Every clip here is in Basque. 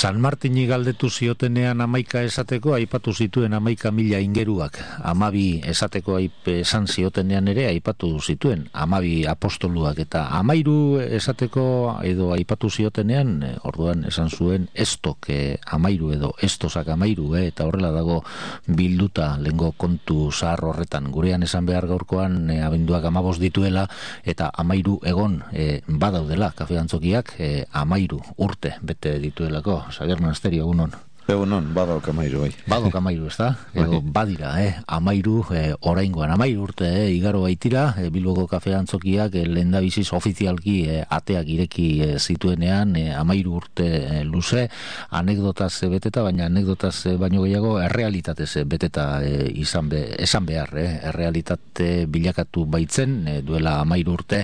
San Martini galdetu ziotenean 11 esateko, aipatu zituen 11.000 ingeruak. 12 esateko esan ziotenean ere, aipatu zituen 12 apostoluak. Eta 13 esateko edo aipatu ziotenean, orduan esan zuen estok 13 edo estosak 13, eta horrela dago bilduta lengo kontu zahar horretan. Gurean esan behar gaurkoan abenduak 15 dituela, eta 13 egon badaudela kafeantzokiak 13 urte bete dituelako. Xabier Monasterio, egunon. Egunon, badok 13, bai. Badok 13, ez da? Edo badira, 13 oraingoan, 13 urte, igaro baitira, Bilboko kafeantzokiak lehendabiziz ofizialki ateak ireki zituenean, 13 urte luze, anekdotaz beteta, baina anekdotaz baino gehiago errealitatez beteta esan behar, errealitate bilakatu baitzen, duela 13 urte,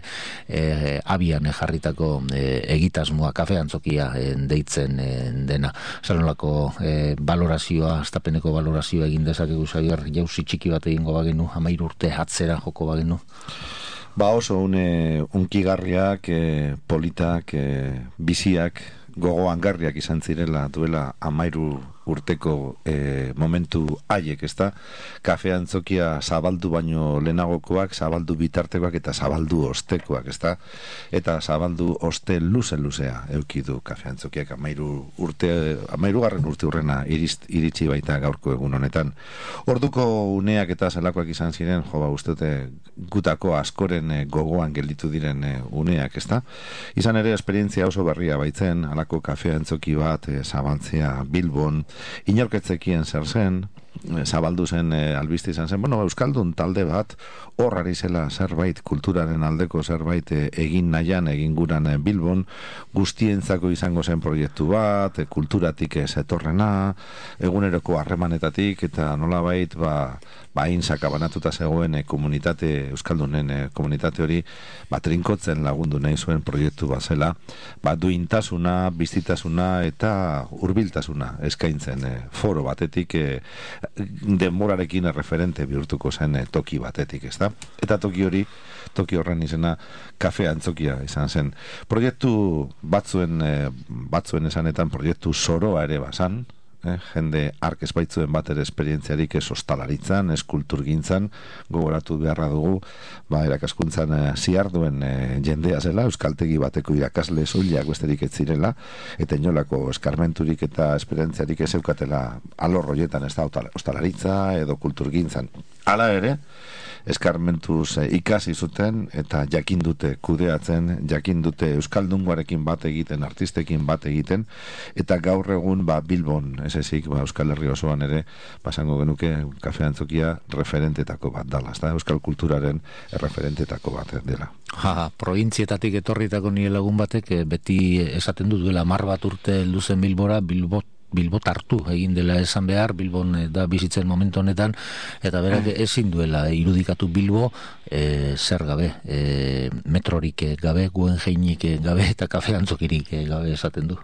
abian jarritako egitasmoa kafeantzokia deitzen dena. Zanolako valorazioa, astapeneko valorazioa egin dezakegu, Xabier, jauzi txiki bat egingo bagenu, 13 urte atzera joko bagenu? Ba oso unkigarriak, politak, biziak, gogoangarriak izan zirela duela 13 urteko momentu haiek, ezta? Kafeantzokia zabaldu baino lehenagokoak, zabaldu bitartekoak eta zabaldu ostekoak, ezta? Eta zabaldu oste luzea eukidu kafeantzokiak 13 garren urte urrena iritsi baita gaurko egun honetan. Orduko uneak eta zelakoak izan ziren, uste gutako askoren gogoan gelditu diren uneak, ezta? Izan ere esperientzia oso berria baitzen, halako kafeantzoki bat zabaltzea Bilbon, inorketzekien zer zen, zabaldu zen albiste izan zen, euskaldun talde bat horrari zela zerbait kulturaren aldeko zerbait egin nahian, egin guran Bilbon, guztientzako izango zen proiektu bat, kulturatik zetorrena, eguneroko harremanetatik, eta nolabait hain sakabanatuta zegoen komunitate, euskaldunen komunitate hori, trinkotzen lagundu nahi zuen proiektu bat zela, duintasuna, biztitasuna eta hurbiltasuna eskaintzen foro batetik, denborarekin referente bihurtuko zen toki batetik, ezta? Eta toki horren izena kafeantzokia izan zen. Proiektu batzuen esanetan proiektu zoroa ere bazan, jende ark ez baitzuen bat ere esperientziarik ez ostalaritzan, ez kulturgintzan, gogoratu beharra dugu, erakaskuntzan ziarduen jendea zela, euskaltegi bateko irakasle soilak besterik ez zirela, eta inolako eskarmenturik eta esperientziarik ez eukatela alor horietan, ez da ostalaritza edo kulturgintzan. Hala ere, eskarmentuz ikasi zuten eta jakin dute kudeatzen, jakin dute euskaldungoarekin bat egiten, artistekin bat egiten, eta gaur egun Bilbon, ez ezik, Euskal Herri osoan ere, pasango genuke kafeantzokia referentetako bat dala, ez da, euskal kulturaren referentetako bat dela. Prointzietatik etorritako nire lagun batek, beti esaten duela 10 bat urte luzen Bilbora, Bilbotartu egin dela esan behar, Bilbon da bizitzen momentu honetan, eta berak ezin duela irudikatu Bilbo zer gabe, metrorik gabe, Guggenheimek gabe eta kafeantzokirik gabe esaten du.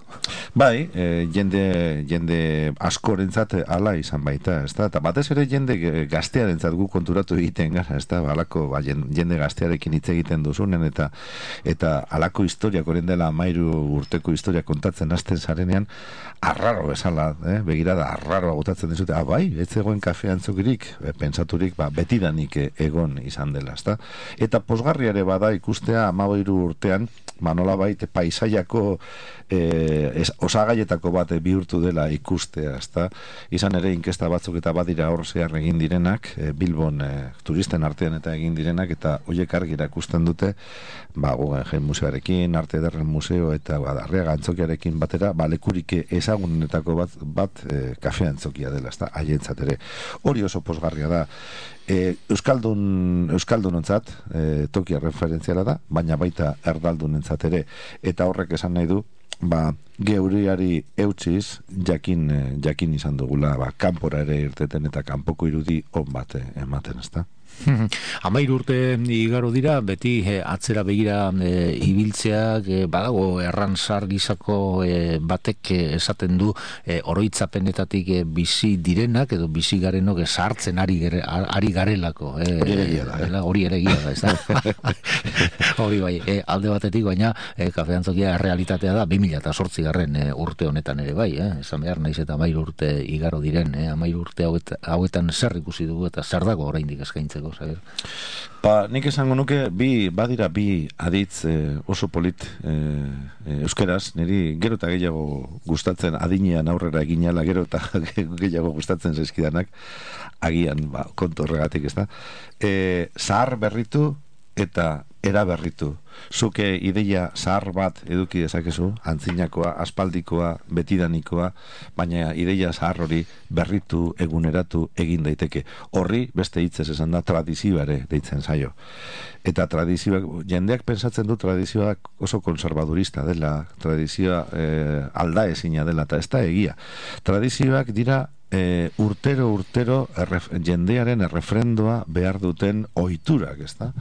Bai, jende askorentzat hala izan baita, ezta? Eta batez ere jende gaztearentzat gu konturatu egiten gara, ezta? Halako jende gaztearekin hitz egiten duzunen eta halako historiak orain dela 13 urteko historia kontatzen hasten zarenean, arraro bezala, begirada arraroa gotatzen dizute, bai, ez zegoen kafeantzokirik, pentsaturik, betidanik egon izan dela, ezta? Eta posgarriare bada ikustea 13 urtean, nolabait paisaiako osagaietako bat bihurtu dela ikustea, ezta? Izan ere inkesta batzuk eta badira hor zehar egin direnak, Bilbon turisten artean eta egin direnak, eta horiek argi erakusten dute, Guggenheim museoarekin, Arte Ederren museo eta Arriaga antzokiarekin batera, lekurik ezagunetako bat kafeantzokia dela, ezta? Haientzat ere. Hori oso posgarria da. Euskaldunontzat tokia referentziala da, baina baita erdaldunentzat ere, eta horrek esan nahi du geuriari eutziz jakin izan dugula kanpora ere irteten eta kanpoko irudi on bat ematen, ezta? 13 urte igaro dira, beti atzera begira ibiltzeak badago erransar gizako batek esaten du oroitzapenetatik bizi direnak edo bizi garenok sartzen ari garelako. Hori ere egia da, ez da? Hori bai, alde batetik, baina kafeantzokia realitatea da 2008 urte honetan ere bai, esan behar naiz eta 13 urte igaro diren, 13 urte hauetan zer ikusi dugu eta zer dago oraindik eskaintzeko, Xabier? Nik esango nuke badira bi aditz oso polit euskeraz, niri gero eta gehiago gustatzen adinean aurrera eginala, gero eta gehiago gustatzen zaizkidanak, agian kontu horregatik, ez da? Zahar berritu eta eraberritu. Zuke ideia zahar bat eduki dezakezu, antzinakoa, aspaldikoa, betidanikoa, baina ideia zahar hori berritu, eguneratu egin daiteke. Horri, beste hitzez esan da, tradizioa ere deitzen zaio. Eta tradizioak, jendeak pensatzen du tradizioak oso konservadurista dela, tradizioa aldaezina dela, eta ez da egia. Tradizioak dira urtero jendearen errefrendoa behar duten ohiturak, ez da?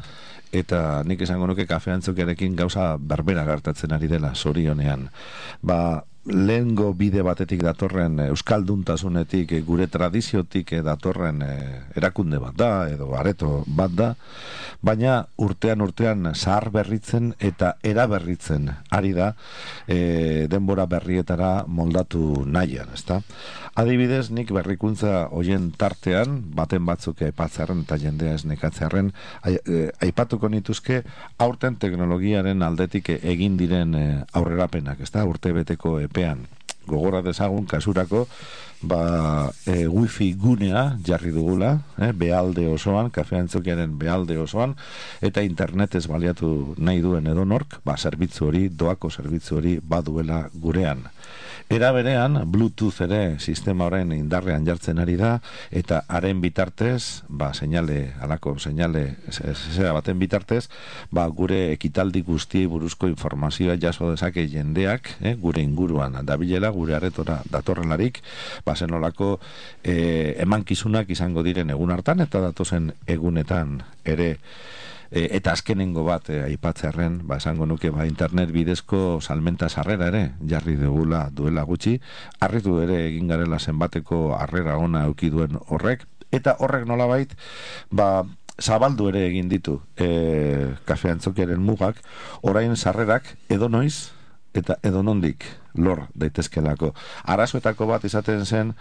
Eta nik esango nuke kafeantzokiarekin gauza berbera gertatzen ari dela, zorionean. Lehengo bide batetik datorren euskalduntasunetik, gure tradiziotik datorren erakunde bat da, edo areto bat da, baina urtean zahar berritzen eta eraberritzen ari da denbora berrietara moldatu nahian, ezta? Adibidez, nik berrikuntza hoien tartean, baten batzuk aipatzarren eta jendea ez nekatzarren, aipatuko nituzke aurten teknologiaren aldetik egin diren aurrerapenak, ezta? Urte beteko epean. Gogora dezagun kasurako wifi gunea jarri dugula, behalde osoan, kafeantzokiaren behalde osoan, eta internetez baliatu nahi duen edonork, zerbitzu hori, doako zerbitzu hori baduela gurean. Era berean, Bluetooth ere sistema horren indarrean jartzen ari da, eta haren bitartez, halako seinale baten bitartez, gure ekitaldi guztiei buruzko informazioa jaso dezake jendeak, gure inguruan dabilela, gure aretora datorrelarik, zenolako emankizunak izango diren egun hartan, eta datozen egunetan ere. Eta azkenengo bat aipatzearren, esango nuke internet bidezko salmenta sarrera ere jarri dugula duela gutxi, harritu ere egin garela zenbateko harrera ona eduki duen horrek, eta horrek nolabait zabaldu ere egin ditu kafeantzokiaren mugak, orain sarrerak edonoiz eta edonondik lor daitezkelako. Arazoetako bat izaten zen,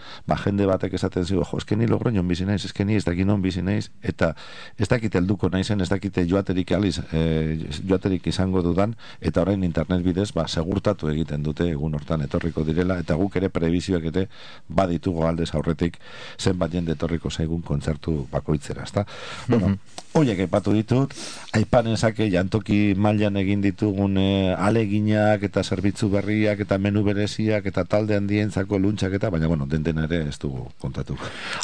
jende batek esaten zigo, eskeni Logroñon bizi naiz, eskeni ez dakinon bizi naiz, eta ez dakite helduko naizen, ez dakite joaterik izango dudan, eta orain internet bidez, segurtatu egiten dute egun hortan etorriko direla, eta guk ere prebizioak ere baditugu aldez aurretik zenbat jende etorriko zaigun kontzertu bakoitzera, ezta? Bueno, horiek aipatu ditut, aipanen zake jantoki mailan egin ditugun aleginak eta zerbitzu berriak eta menu bereziak eta talde handientzako luntxak eta, baina, den ere ez dugu kontatu.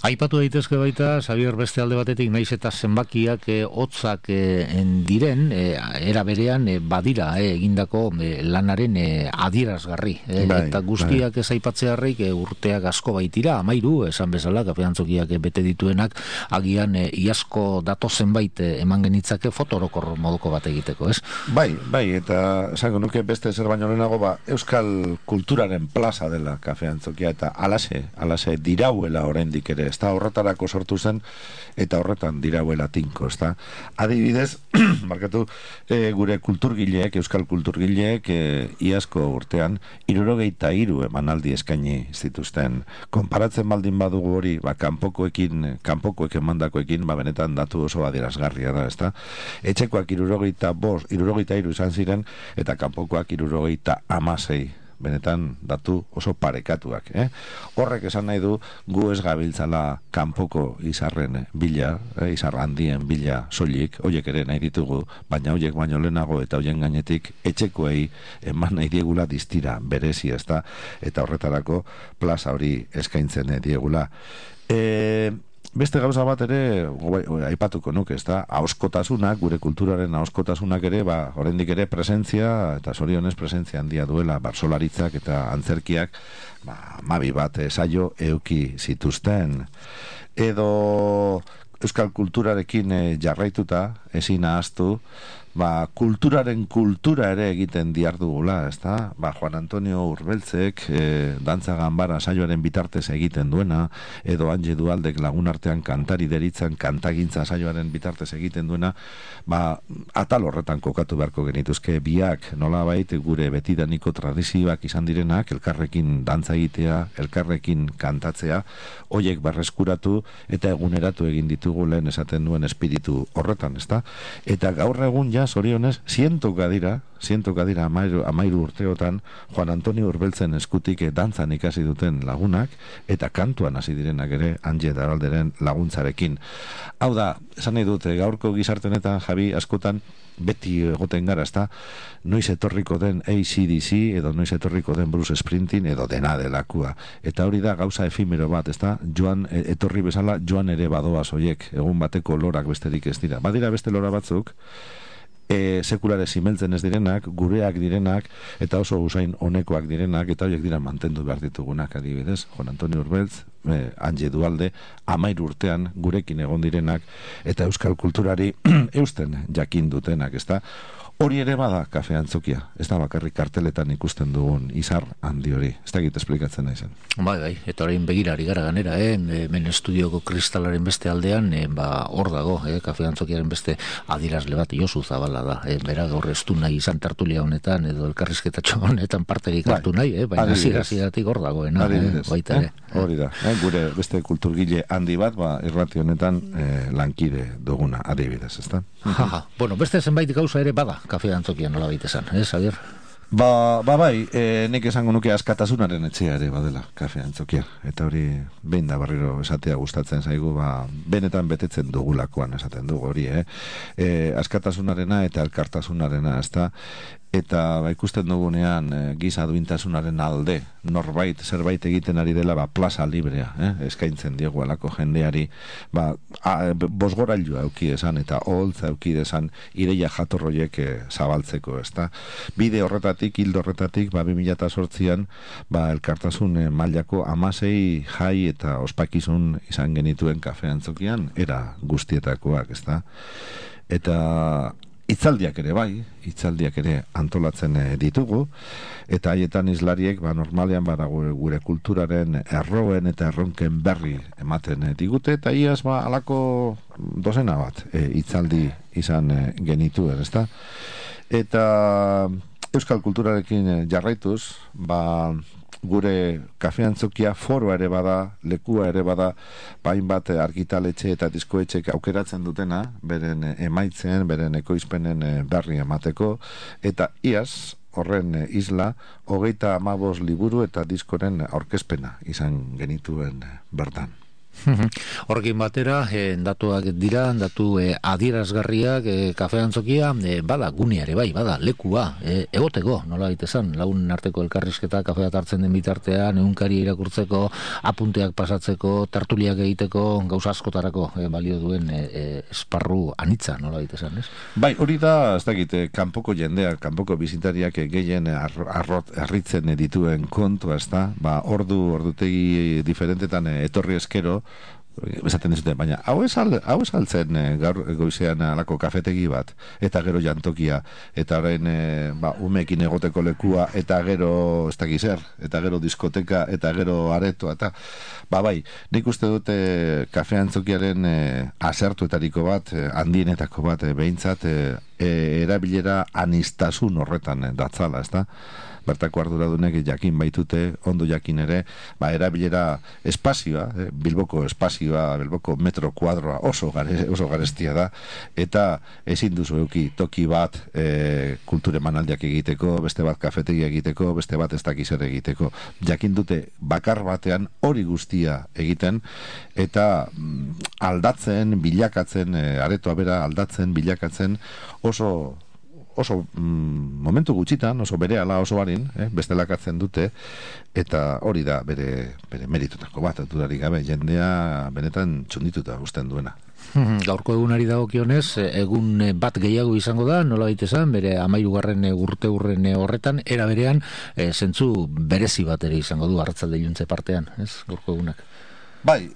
Aipatu daitezke baita, Xabier, beste alde batetik, naiz eta zenbakiak hotzak diren, era berean badira egindako lanaren adierazgarri. Eta guztiak ez aipatzearrik urteak asko baitira, 13, esan bezala, kafeantzokiak bete dituenak, agian iazko dato zenbait eman genitzake fotorokor moduko bat egiteko, ez? Bai, eta esango nuke beste zer baino lehenago, euskal kulturaren plaza dela kafeantzokia, eta alase dirauela oraindik ere, ez da horretarako sortu zen, eta horretan dirauela tinko, ez da. Adibidez, markatu, gure kulturgileek, euskal kulturgileek, iazko urtean, 63 emanaldi eskaini zituzten. Konparatzen baldin badugu hori, kanpokoek emandakoekin, benetan datu oso adierazgarria da, ez da. Etxekoak 63 izan ziren, eta kanpokoak 76. Benetan datu oso parekatuak. Horrek esan nahi du, gu ez gabiltzala kanpoko izarren bila, izar handien bila soilik, hoiek ere nahi ditugu, baina hoiek baino lehenago eta hoien gainetik etxekoei eman nahi diegula distira berezi, ezta, eta horretarako plaza hori eskaintzen diegula. Beste gauza bat ere, aipatuko nuke, ez da, ahoskotasunak, gure kulturaren ahoskotasunak ere, oraindik ere presentzia, eta zorionez presentzia handia duela, barsolaritzak eta antzerkiak, mabi bat saio euki zituzten. Edo euskal kulturarekin jarraituta, ezin ahaztu, kulturaren kultura ere egiten diardugula, ezta? Juan Antonio Urbeltzek dantza ganbara saioaren bitartez egiten duena, edo Anje Dualdek lagunartean kantari deritzan kantagintza saioaren bitartez egiten duena, atal horretan kokatu beharko genituzke biak, nolabait gure betidaniko tradizioak izan direnak, elkarrekin dantza egitea, elkarrekin kantatzea, hoiek berreskuratu eta eguneratu egin ditugu lehen esaten duen espiritu horretan, ezta? Eta gaur egun ja zorionez, zientoka dira 13 urteotan Juan Antonio Urbeltzen eskutik dantzan ikasi duten lagunak, eta kantuan hasi direnak ere Anje Dualderen laguntzarekin. Hau da, esan nahi dute, gaurko gizartenetan, Javi, askotan beti egoten gara, ezta, noiz etorriko den AC/DC edo noiz etorriko den Bruce Springsteen edo dena delakua. Eta hori da gauza efimero bat, ezta, joan etorri bezala joan ere badoa soiek, egun bateko lorak besterik ez dira. Badira beste lora batzuk, sekulare zimeltzen ez direnak, gureak direnak, eta oso usain honekoak direnak, eta horiek dira mantendu behar ditugunak, adibidez, Juan Antonio Urbeltz, Anje Dualde, 13 urtean gurekin egon direnak, eta euskal kulturari eusten jakin dutenak, ezta? Hori ere bada kafe antzokia, ez da bakarrik karteletan ikusten dugun izar handi hori, ez da egite esplikatzen naizen. Bai, eta orain begirari gara ganera, hemen estudioko kristalaren beste aldean, hor dago, kafe antzokiaren beste adirazle bat, Josu Zabala da, bera gaur ez du nahi izan tertulia honetan, edo elkarrizketatxo honetan parterik hartu nahi, baina ziratik hor dagoena, baita ere. Hori da, gure beste kulturgile handi bat, irrati honetan lankide duguna, adibidez, ez da? Bueno, beste zenbait gauza ere bada, kafe antzokian nola baita esan, Xavier? Bai, nik esango nuke askatasunaren etxea ere badela kafe antzokia, eta hori behin da barriro esatea gustatzen zaigu, benetan betetzen dugulakoan esaten dugu hori, askatasunarena eta elkartasunarena, ezta, eta ikusten dugunean giza duintasunaren alde norbait zerbait egiten ari dela plaza librea eskaintzen diegu alako jendeari bosgorailua euki esan eta oholtza euki esan ideia jatorroiek zabaltzeko, ezta? Bide horretatik, hildo horretatik 2008an elkartasun mailako 16 jai eta ospakizun izan genituen kafe antzokian era guztietakoak, ezta? Eta hitzaldiak ere antolatzen ditugu, eta haietan izlariek normalean gure kulturaren erroen eta erronken berri ematen digute, eta iaz alako dozena bat hitzaldi izan genituen, ezta? Eta euskal kulturarekin jarraituz, gure kafe antzokia foroa ere bada, lekua ere bada, hainbat argitaletxe eta diskoetxek aukeratzen dutena, beren emaitzen, beren ekoizpenen berri emateko, eta iaz, horren isla, 35 liburu eta diskoren aurkezpena izan genituen bertan. Horrekin batera, datuak dira, datu adierazgarriak, kafe antzokia, bada guneare bai, bada lekua, egoteko, nola baitezan, lagun arteko elkarrizketa, kafeat hartzen den bitartean, egunkari irakurtzeko, apunteak pasatzeko, tertuliak egiteko, gauza askotarako balio duen esparru anitza, nola baitezan, ez? Bai, hori da, ez dakit, kanpoko jendeak, kanpoko bizitariak gehien harritzen dituen kontua, ez da, ordutegi diferentetan etorri eskero, esaten dizute, baina hau esaltzen gaur goizean alako kafetegi bat, eta gero jantokia, eta orain umekin egoteko lekua, eta gero ez dakiz zer, eta gero diskoteka, eta gero aretoa, eta bai, nik uste dute kafe antzokiaren asertuetariko bat, handienetako bat, behintzat erabilera anistasun horretan datzala, ez da? Bertako arduradunek jakin baitute, ondo jakin ere, erabilera espazioa, Bilboko espazioa, Bilboko metro kuadroa oso garestia da, eta ezin duzu euki toki bat kulture manaldiak egiteko, beste bat kafetegia egiteko, beste bat ez dakiz ere egiteko. Jakin dute bakar batean hori guztia egiten, eta aldatzen, bilakatzen, aretoa bera aldatzen, bilakatzen, oso momentu gutxitan, oso berehala oso barin, bestelakatzen dute, eta hori da bere meritutako bat, dudarik gabe, jendea benetan txundituta usten duena. Gaurko egunari dagokionez, egun bat gehiago izango da, nola baitezan, bere 13. urte horretan, era berean, zentzu berezi bat ere izango du arratsalde iluntze partean, ez, gaurko egunak? Bai,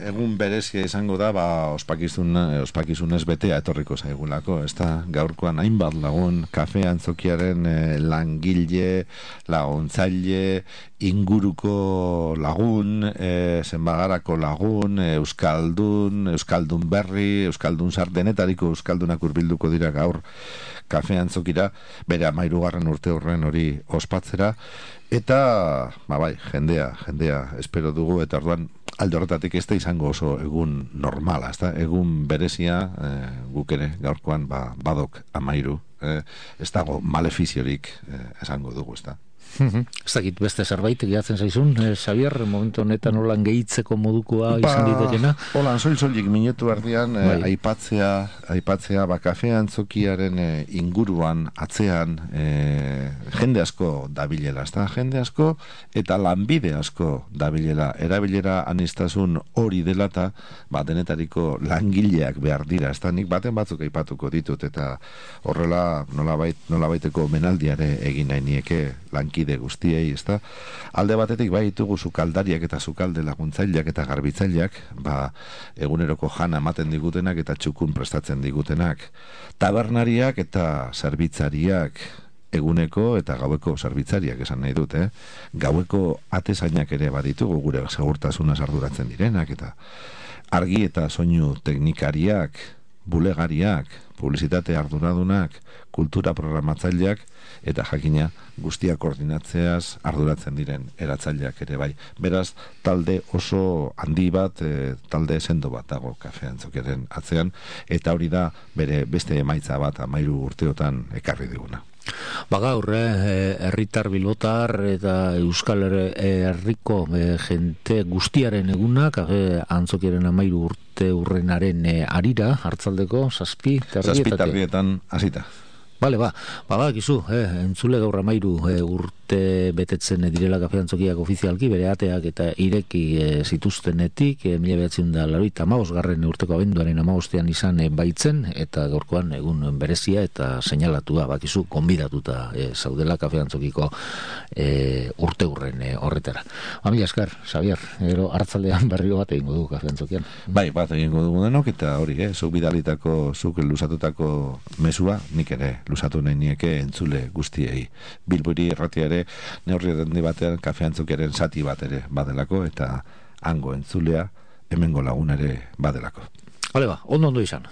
egun berezia izango da, ospakizunez betea etorriko zaigulako, ez da, gaurkoan hainbat lagun, kafe antzokiaren langile, laguntzaile, inguruko lagun, zenbagarako lagun, euskaldun berri, euskaldun sardenetariko euskaldunak hurbilduko dira gaur kafe antzokira, bere 13. urte horren hori ospatzera, eta, bai, jendea, espero dugu, eta orduan, alde horretatik ez da izango oso egun normala, ez da, egun berezia, guk ere, gaurkoan, badok 13, ez dago malefiziorik esango dugu, ez da. Ez dakit beste zerbait gehatzen zaizun, Xavier, momentu honetan holan gehitzeko modukoa izan ditekena? Holan, soilik minutu ardian aipatzea kafe antzokiaren inguruan, atzean, jende asko dabilela, ez da, jende asko eta lanbide asko dabilela, erabilera anistazun hori dela eta denetariko langileak behar dira, ez da, nik baten batzuk aipatuko ditut, eta horrela nolabaiteko menaldiare egin nahi nieke lankide guztiei, ezta? Alde batetik bai ditugu sukaldariak eta sukalde laguntzaileak eta garbitzaileak, eguneroko jana ematen digutenak eta txukun prestatzen digutenak. Tabernariak eta zerbitzariak, eguneko eta gaueko zerbitzariak esan nahi dut, Gaueko atezainak ere baditugu gure segurtasunaz arduratzen direnak, eta argi eta soinu teknikariak, bulegariak, publizitate arduradunak, kultura programatzaileak, eta jakina guztia koordinatzeaz arduratzen diren eratzaileak ere bai. Beraz, talde oso handi bat, talde sendo bat dago kafe antzokiaren atzean, eta hori da bere beste emaitza bat 13 urteotan ekarri diguna. Gaur, herritar bilbotar eta Euskal Herriko jente guztiaren eguna, kafe antzokiaren 13 urte urrenaren arira, hartzaldeko, 7:30 hasita. Bale, badakizu, entzule gaur 13 urte betetzen direla kafe antzokiak ofizialki, bere ateak eta ireki zituztenetik, 1985 urteko abenduaren 15 izan baitzen, eta gaurkoan egun berezia eta seinalatua, bakizu, konbidatuta zaudela kafe antzokiko urte urren horretara. Mila esker, Xavier, gero hartzaldean berrio bat egingo dugu kafe antzokian. Bai, bat egingo dugu denok, eta hori, zuk bidalitako, zuk lusatutako mesua, nik ere lusatu nahi nieke entzule guztiei. Bilbori erratiare neurri handi batean kafe antzokiaren zati bat ere badelako, eta hango entzulea hemengo lagun ere badelako. Ondo izan.